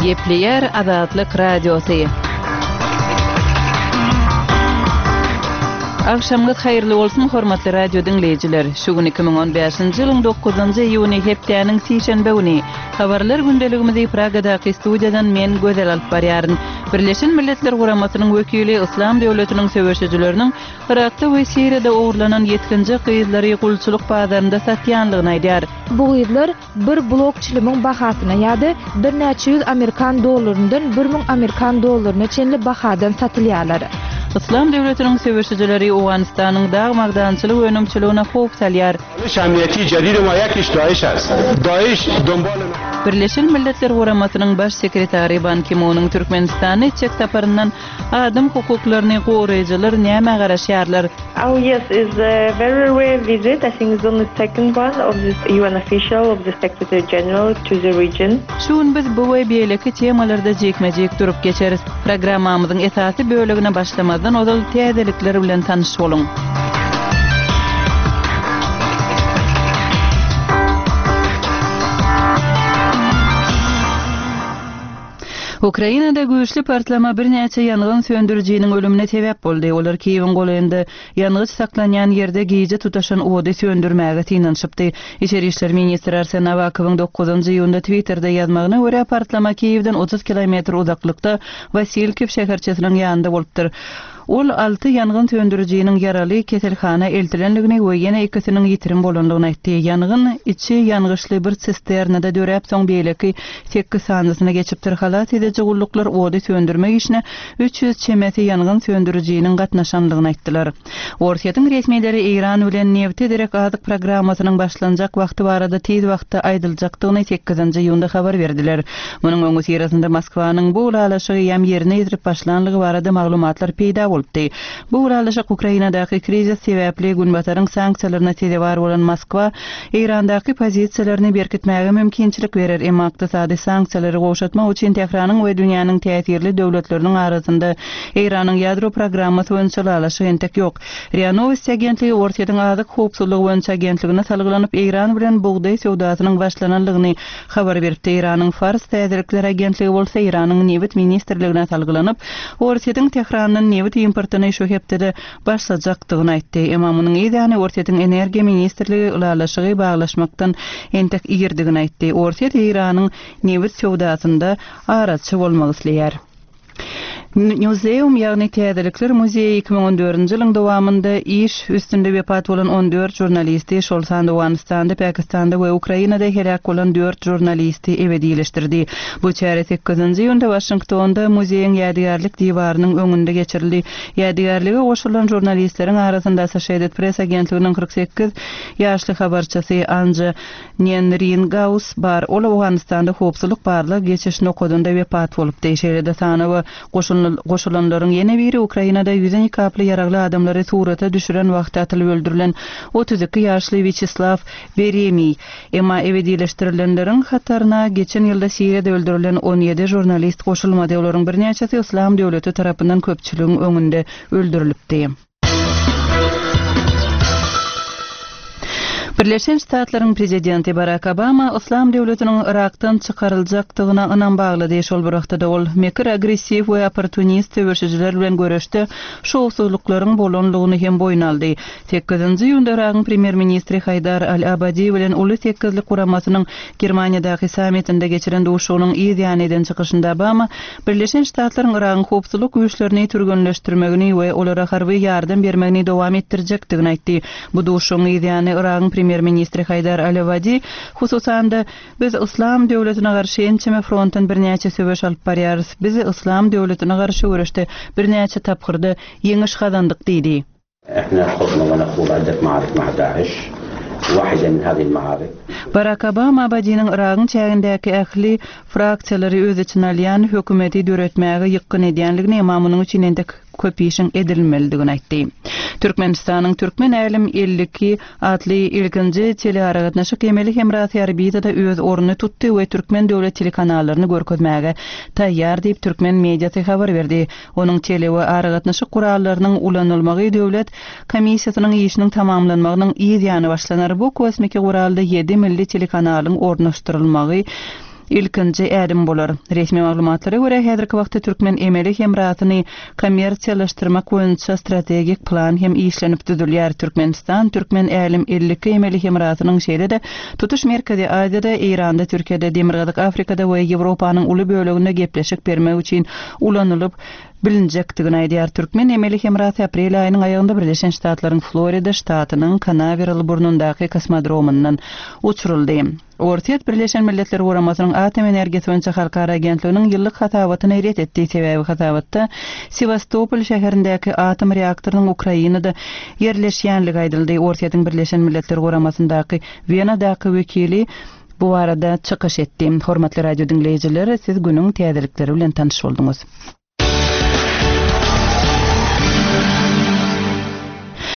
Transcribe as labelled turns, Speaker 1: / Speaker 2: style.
Speaker 1: Gepleýär Azatlyk Radiosy. Agşamyňyz haýyrly bolsun, hormatly radio diňleýjiler! Şu gün 2015-nji ýylyň dokuzynjy iýuny, hepdäniň sişenbe güni. Habarlar gündeligimizi Pragadaky studiýadan men, Gözel alyp barýaryn. Birleşen Milletler Guramasynyň wekili Yslam döwletiniň söweşijileriniň Yrakda we Siriýada ogurlanan ýetginjek gyzlary gulçulyk bazarynda satýanlygyny aýdýar.
Speaker 2: Bu gyzlar bir blok çilimiň bahasyna ýa-da birnäçe ýüz amerikan dollaryndan 1000 amerikan dollaryna çenli bahadan satylýarlar.
Speaker 1: Yslam döwletiniň söweşijileri Owganystanyň dag-magdançylyk önümçiligine howp salýar. Birleşen Milletler Guramasynyň Baş sekretary Ban Ki-munyň Türkmenistana etjek saparyndan Adam hukuklaryny goraýjylar nämä garaşýarlar?
Speaker 3: Oh yes, is a very rare visit, I think it's only second one of this UN official of the Secretary General to the region.
Speaker 1: Şu gün biz bu we beýleki temalarda jikme-jik durup geçeris. Programmamyzyň esasy bölegine başlamazdan ozal täzelikler bilen tanyş boluň. Ukrainada güýçli partlama birnäçe ýangyn söndürijiniň ölümine sebäp boldy. Olar Kiýewiň golaýynda ýangyç saklanýan ýerde gije tutaşan ody söndürmäge synanyşypdy. Içeri işler ministri Arsen Awakowyň dokuzynjy iýunda Twitterde ýazmagyna görä, partlama Kiýewden 30 kilometr uzaklykda Wasilkiw şäherçesiniň ýanynda bolupdyr. Ol alty ýangyn söndürijiniň ýaraly keselhana eltilendigini we ýene ikisiniň ýitirim bolandygyny aýtdy. Ýangyn içi ýangyçly bir sisternada döräp, soň beýleki sekiz sanysyna geçipdir. Halas ediji gulluklar ody söndürmek işine 300 çemesi ýangyn söndürijiniň gatnaşandygyny aýtdylar. Orsýetiň resmileri Eýran bilen nebte derek azyk programmasynyň başlanjak wagty barada tiz wagtda aýdyljakdygyny sekizinji iýunda habar berdiler. Munuň öňüsyrasynda Moskwanyň bu ylalaşygy eýýäm ýerine ýetirip başlanlygy barada maglumatlar peýda bolupdy. Bu ylalaşyk Ukrainadaky krizis sebäpli Günbataryň sanksiýalaryna sezewar bolan Moskwa Eýrandaky pozisiýalaryny berkitmäge mümkinçilik berer, emma ykdysady sanksiýalary gowşatmak üçin Tähranyň we dünýäniň täsirli döwletleriniň arasynda Eýranyň ýadro programmasy boýunça ylalaşyk entek ýok. Ria Nowosti agentligi Orsýetiň azyk howpsuzlygy boýunça agentligine salgylanyp, Eýran bilen bugdaý söwdasynyň başlananlygyny habar beripdi. Eýranyň Fars täzelikler agentligi bolsa Eýranyň Nebit ministrligine salgylanyp, Orsýetiň Tährandan nebit importyny şu hepdede başlajakdygyny aýtdy. Emma munuň yz ýany Orsýetiň Energiýa ministrligi ylalaşygy baglaşmakdan entek irdigini aýtdy. Orsýet Eýranyň nebit söwdasynda araçy bolmak isleýär. Newseum, ýagny Täzelikler muzeýi 2014-nji ýylyň dowamynda iş üstünde wepat bolan 14 žurnalisti, şol sanda Owganystanda, Pakistanda we Ukrainada heläk bolan dört žurnalisti ebedileşdirdi. Bu çäre sekizinji iýunda Waşingtonda muzeýiň ýadygärlik diwarynyň öňünde geçirildi. Ýadygärlige goşulan žurnalistleriň arasynda Associated Press agentliginiň 48 ýaşly habarçysy Anja Nenringaus bar, ol Owganystanda howpsuzlyk barlag geçiş nokadynda wepat bolupdy. Şeýle-de sanawa goşulanlaryň ýene biri Ukrainada ýüzi nikaply ýaragly adamlary surata düşüren wagty atylyp öldürilen 32 ýaşly Wýaçeslaw Weremiý. Emma ebedileşdirilenleriň hataryna geçen ýylda Siriýada öldürilen 17 žurnalist goşulmady, olaryň birnäçesi Yslam döwleti tarapyndan köpçüligiň öňünde öldürilipdi. Birleşen Ştatlaryň prezidenti Barak Obama Yslam döwletiniň Yrakdan çykaryljakdygyna ynam baglady. Şol bir wagtda-da ol mekir, agressiw we opportunist söweşijiler bilen göreşde şowsuzlyklaryň bolanlygyny hem boýun aldy. Sekizinji iýunda Yragyň premýer-ministri Haýdar al-Abadi bilen Uly sekizlik guramasynyň Germaniýadaky sammitinde geçiren duşuşygynyň yz ýany eden çykyşynda Obama Birleşen Ştatlaryň Yragyň howpsuzlyk güýçlerini türgenleşdirmegini we olara harby ýardam bermegini dowam etdirjekdigini aýtdy. Bu duşuşygyň yz ýany Yragyň premýer-ministri Haýdar al-Abadi, hususan-da, Biz Yslam döwletine garşy ençeme frontdan birnäçe söweş alyp barýarys. Biz Yslam döwletine garşy göreşde birnäçe tapgyrda ýeňiş gazandyk diýdi. Barak Obama Abadiniň Yragyň çägindäki ähli fraksiýalary öz içine alýan hökümeti döretmäge ýykgyn edýänligini, emma munuň üçin entek köp işiň edilmelidigini aýtdy. Türkmenistanyň Türkmen älem 52 atly ilkinji telearagatnaşyk emeli hemrasy orbitada öz ornuny tutdy we türkmen döwlet telekanallaryny görkezmäge taýýar diýip, türkmen mediasy habar berdi. Onuň tele we aragatnaşyk gurallarynyň ulanylmagy döwlet komissiýasynyň işiniň tamamlanmagynyň yz ýany başlanar. Bu kosmiki guralda ýedi milli telekanalyň ornaşdyrylmagy. Ilkinji ädim bolar. Resmi maglumatlara görä, häzirki wagtda türkmen emeli hemrasyny kommersiýalaşdyrmak boýunça strategik plan hem işlenip düzülýär. Türkmenistan Türkmen Älem 52 emeli hemrasynyň şeýle-de tutuş Merkezi Aziýada, Eýranda, Türkiýede, Demirgazyk Afrikada we Ýewropanyň uly böleginde gepleşik bermek üçin ulanylyp bilinjekdigini aýdýar. Türkmen emeli hemrasy aprel aýynyň aýagynda Birleşen Ştatlaryň Florida ştatynyň Kanaweral burnundaky kosmodromyndan uçuryldy. Orsýet Birleşen Milletler Guramasynyň Atom energiýasy boýunça halkara agentliginiň ýyllyk hasabatyny ret etdi, sebäbi hasabatda Sewastopol şäherindäki atom reaktorynyň Ukrainada ýerleşýänligi aýdyldy. Orsýetiň Birleşen Milletler Guramasyndaky Wenadaky wekili bu barada çykyş etdi. Hormatly radio diňleýjiler, siz günüň täzelikleri bilen tanyş bolduňyz.